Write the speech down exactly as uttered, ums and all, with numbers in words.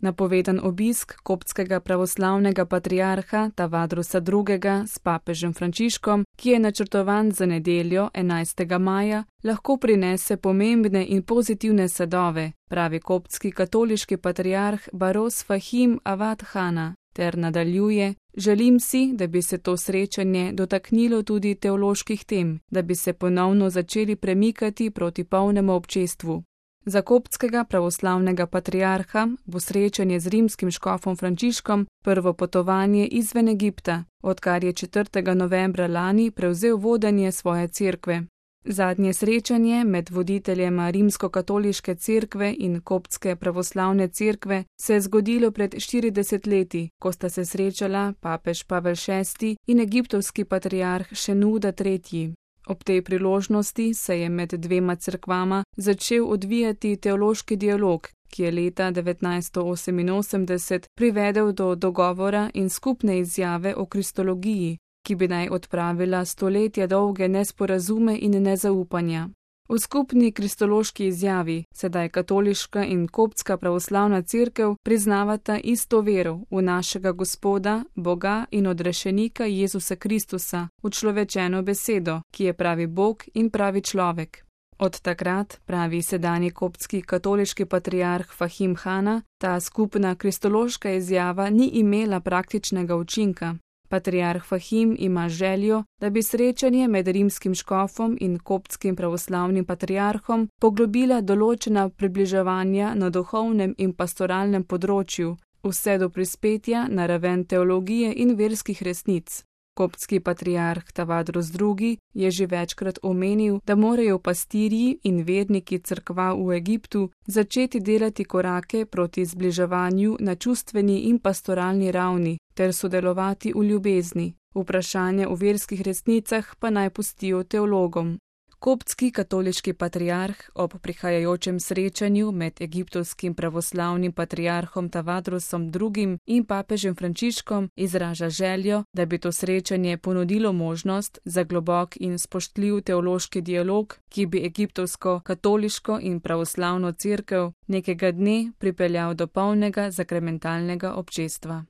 Napovedan obisk koptskega pravoslavnega patriarha Tavadrusa drugega s papežem Frančiškom, ki je načrtovan za nedeljo enajstega maja, lahko prinese pomembne in pozitivne sadove, pravi koptski katoliški patriarh Baros Fahim Avad Hana, ter nadaljuje: želim si, da bi se to srečanje dotaknilo tudi teoloških tem, da bi se ponovno začeli premikati proti polnemu občestvu. Za koptskega pravoslavnega patriarha bo srečanje z rimskim škofom Frančiškom prvo potovanje izven Egipta, odkar je četrtega novembra lani prevzel vodenje svoje cerkve. Zadnje srečanje med voditeljema rimskokatoliške cerkve in koptske pravoslavne cerkve se je zgodilo pred štirideset leti, ko sta se srečala papež Pavel šesti in egiptovski patriarh Šenuda tretji. Ob tej priložnosti se je med dvema cerkvama začel odvijati teološki dialog, ki je leta devetnajststo oseminosemdeset privedel do dogovora in skupne izjave o kristologiji, ki bi naj odpravila stoletja dolge nesporazume in nezaupanja. V skupni kristološki izjavi sedaj katoliška in koptska pravoslavna cerkev priznavata isto vero v našega Gospoda, Boga in odrešenika Jezusa Kristusa, učlovečeno besedo, ki je pravi Bog in pravi človek. Od takrat, pravi sedanji koptski katoliški patriarh Fahim Hana, ta skupna kristološka izjava ni imela praktičnega učinka. Patriarh Fahim ima željo, da bi srečanje med rimskim škofom in koptskim pravoslavnim patriarhom poglobila določena približevanja na duhovnem in pastoralnem področju, vse do prispetja na raven teologije in verskih resnic. Koptski patriarh Tavadrus drugi je že večkrat omenil, da morajo pastirji in verniki cerkva v Egiptu začeti delati korake proti zbliževanju na čustveni in pastoralni ravni ter sodelovati v ljubezni. Vprašanja o verskih resnicah pa naj pustijo teologom. Koptski katoliški patriarh ob prihajajočem srečanju med egiptovskim pravoslavnim patriarhom Tavadrusom drugim in papežem Frančiškom izraža željo, da bi to srečanje ponudilo možnost za globok in spoštljiv teološki dialog, ki bi egiptovsko katoliško in pravoslavno cerkev nekega dne pripeljal do polnega sakramentalnega občestva.